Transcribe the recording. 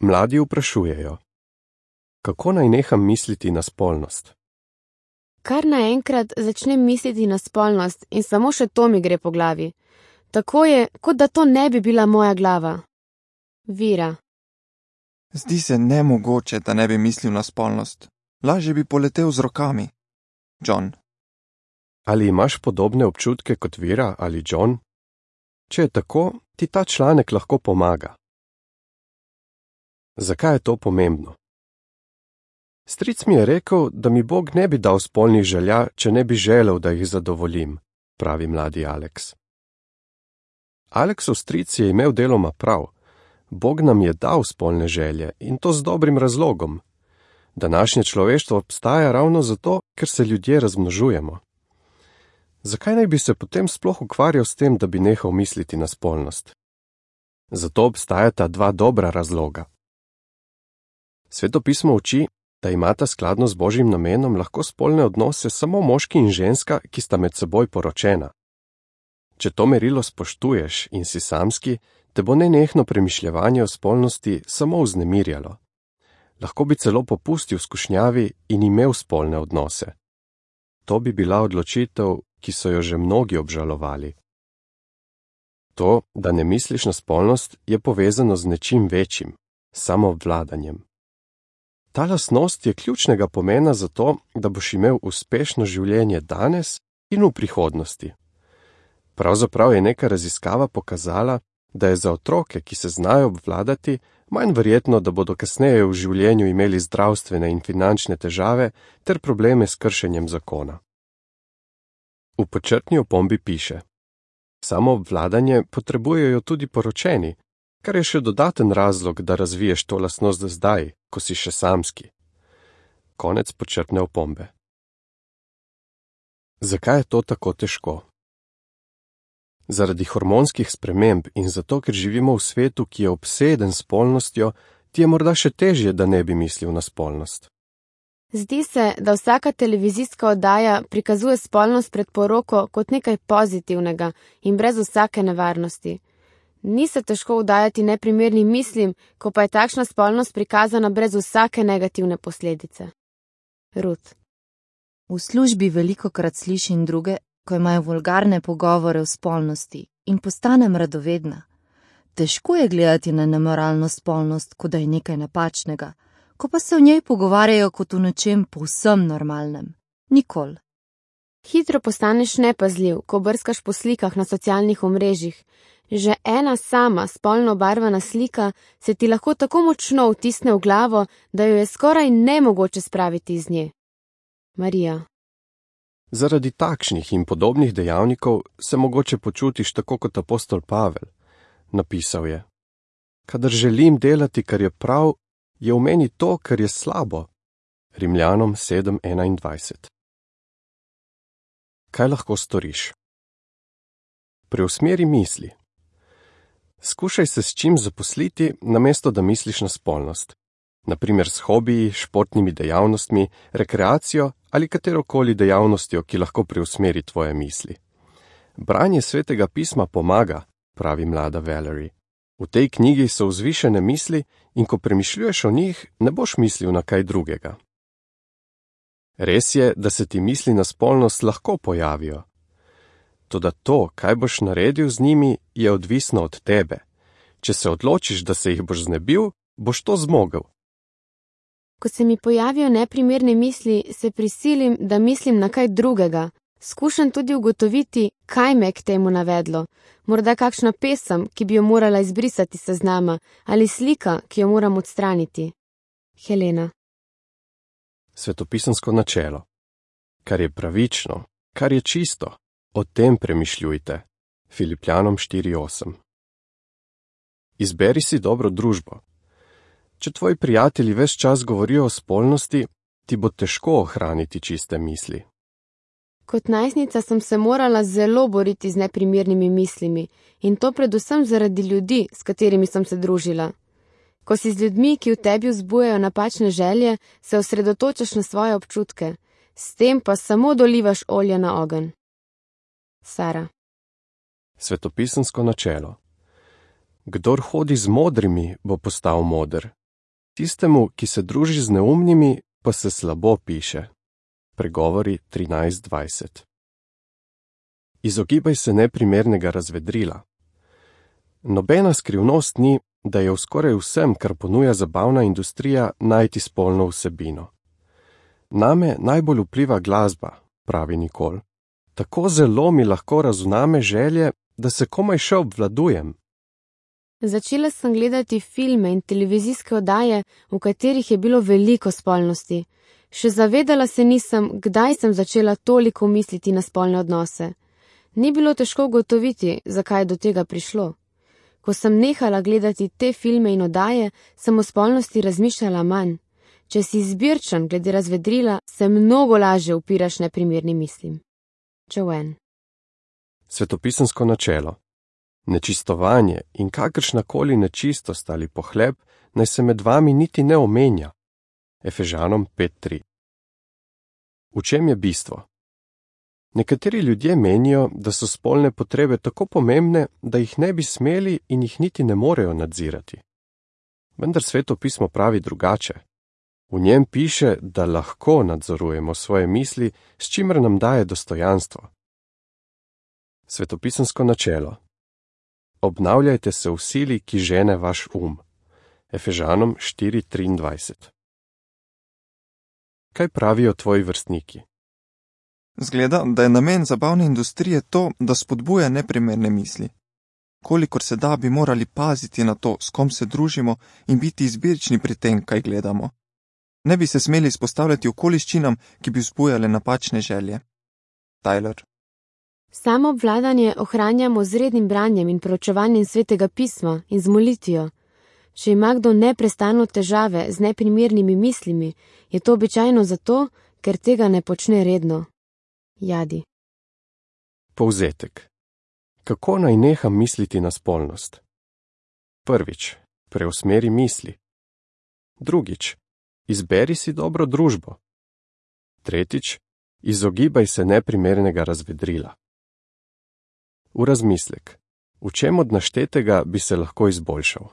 Mladi vprašujejo: kako naj neham misliti na spolnost? Kar naenkrat začnem misliti na spolnost in samo še to mi gre po glavi. Tako je, kot da to ne bi bila moja glava. Vira. Zdi se nemogoče, da ne bi mislil na spolnost. Lažje bi poletel z rokami. John. Ali imaš podobne občutke kot Vira ali John? Če je tako, ti ta članek lahko pomaga. Zakaj je to pomembno? Stric mi je rekel, da mi Bog ne bi dal spolnih želja, če ne bi želel, da jih zadovoljim, pravi mladi Alex. Alexov stric je imel deloma prav. Bog nam je dal spolne želje in to z dobrim razlogom. Današnje človeštvo obstaja ravno zato, ker se ljudje razmnožujemo. Zakaj naj bi se potem sploh ukvarjal s tem, da bi nehal misliti na spolnost? Zato obstajata dva dobra razloga. Sveto pismo uči, da imata skladno z Božjim namenom lahko spolne odnose samo moški in ženska, ki sta med seboj poročena. Če to merilo spoštuješ in si samski, te bo nenehno premišljevanje o spolnosti samo vznemirjalo. Lahko bi celo popustil skušnjavi in imel spolne odnose. To bi bila odločitev, ki so jo že mnogi obžalovali. To, da ne misliš na spolnost, je povezano z nečim večjim, samoobvladanjem. Ta lastnost je ključnega pomena za to, da boš imel uspešno življenje danes in v prihodnosti. Pravzaprav je neka raziskava pokazala, da je za otroke, ki se znajo obvladati, manj verjetno, da bodo kasneje v življenju imeli zdravstvene in finančne težave ter probleme s kršenjem zakona. V počrtni opombi piše: samoobvladanje potrebujejo tudi poročeni, kar je še dodaten razlog, da razviješ to lastnost zdaj, ko si še samski. Konec počrtne opombe. Zakaj je to tako težko? Zaradi hormonskih sprememb in zato, ker živimo v svetu, ki je obseden s spolnostjo, ti je morda še težje, da ne bi mislil na spolnost. Zdi se, da vsaka televizijska oddaja prikazuje spolnost pred poroko kot nekaj pozitivnega in brez vsake nevarnosti. Ni se težko vdajati neprimernim mislim, ko pa je takšna spolnost prikazana brez vsake negativne posledice. Ruth. V službi velikokrat slišim druge, ko imajo vulgarne pogovore o spolnosti in postanem radovedna. Težko je gledati na nemoralno spolnost, kot da je nekaj napačnega, ko pa se o njej pogovarjajo kot o nečem povsem normalnem. Nikoli. Hitro postaneš nepazljiv, ko brskaš po slikah na socialnih omrežjih. Že ena sama spolno obarvana slika se ti lahko tako močno vtisne v glavo, da jo je skoraj nemogoče spraviti iz nje. Marija. Zaradi takšnih in podobnih dejavnikov se mogoče počutiš tako kot apostol Pavel. Napisal je: kadar želim delati, kar je prav, je v meni to, kar je slabo. Rimljanom 7:21. Kaj lahko storiš? Preusmeri misli. Skušaj se s čim zaposliti, namesto da misliš na spolnost. Naprimer s hobiji, športnimi dejavnostmi, rekreacijo ali katerokoli dejavnostjo, ki lahko preusmeri tvoje misli. Branje svetega pisma pomaga, pravi mlada Valerie. V tej knjigi so vzvišene misli in ko premišljuješ o njih, ne boš mislil na kaj drugega. Res je, da se ti misli na spolnost lahko pojavijo. Toda to, kaj boš naredil z njimi, je odvisno od tebe. Če se odločiš, da se jih boš znebil, boš to zmogel. Ko se mi pojavijo neprimerne misli, se prisilim, da mislim na kaj drugega. Skušam tudi ugotoviti, kaj me je k temu navedlo. Morda kakšna pesem, ki bi jo morala izbrisati s seznama, ali slika, ki jo moram odstraniti. Helena. Svetopisansko načelo. Kar je pravično, kar je čisto, o tem premišljujte. Filipljanom 4:8. Izberi si dobro družbo. Če tvoji prijatelji ves čas govorijo o spolnosti, ti bo težko ohraniti čiste misli. Kot najstnica sem se morala zelo boriti z neprimernimi mislimi in to predvsem zaradi ljudi, s katerimi sem se družila. Ko si z ljudmi, ki v tebi vzbujajo napačne želje, se osredotočaš na svoje občutke, s tem pa samo dolivaš olje na ogenj. Sara. Svetopisansko načelo. Kdor hodi z modrimi, bo postal moder, Tistemu, ki se druži z neumnimi, pa se slabo piše. Pregovori 13:20. Izogibaj se neprimernega razvedrila. Nobena skrivnost ni, da je v skoraj vsem, kar ponuja zabavna industrija, najti spolno vsebino. Name najbolj vpliva glasba, pravi Nikol. Tako zelo mi lahko razuname želje, da se komaj še obvladujem. Začela sem gledati filme in televizijske oddaje, v katerih je bilo veliko spolnosti. Še zavedala se nisem, kdaj sem začela toliko misliti na spolne odnose. Ni bilo težko ugotoviti, zakaj je do tega prišlo. Ko sem nehala gledati te filme in oddaje, sem o spolnosti razmišljala manj. Če si izbirčen glede razvedrila, se mnogo lažje upiraš neprimernim mislim. Joanne. Svetopisemsko načelo. Nečistovanje in kakršnakoli nečistost ali pohleb naj se med vami niti ne omenja. Efežanom 5:3. V čem je bistvo? Nekateri ljudje menijo, da so spolne potrebe tako pomembne, da jih ne bi smeli in jih niti ne morejo nadzirati. Vendar Sveto pismo pravi drugače. V njem piše, da lahko nadzorujemo svoje misli, s čimer nam daje dostojanstvo. Svetopisemsko načelo. Obnavljajte se v sili, ki žene vaš Efežanom 4:23. Kaj pravijo tvoji vrstniki? Zgleda, da je namen zabavne industrije to, da spodbuja neprimerne misli. Kolikor se da, bi morali paziti na to, s kom se družimo in biti izbirčni pri tem, kaj gledamo. Ne bi se smeli izpostavljati okoliščinam, ki bi vzbujale napačne želje. Tyler. Samo obvladanje ohranjamo z rednim branjem in proučevanjem Svetega pisma in z molitvijo. Če ima kdo neprestano težave z neprimernimi mislimi, je to običajno zato, ker tega ne počne redno. Jadi. Povzetek. Kako naj neham misliti na spolnost? Prvič, preusmeri misli. Drugič, izberi si dobro družbo. Tretjič, izogibaj se neprimernega razvedrila. V razmislek. V čem od naštetega bi se lahko izboljšal?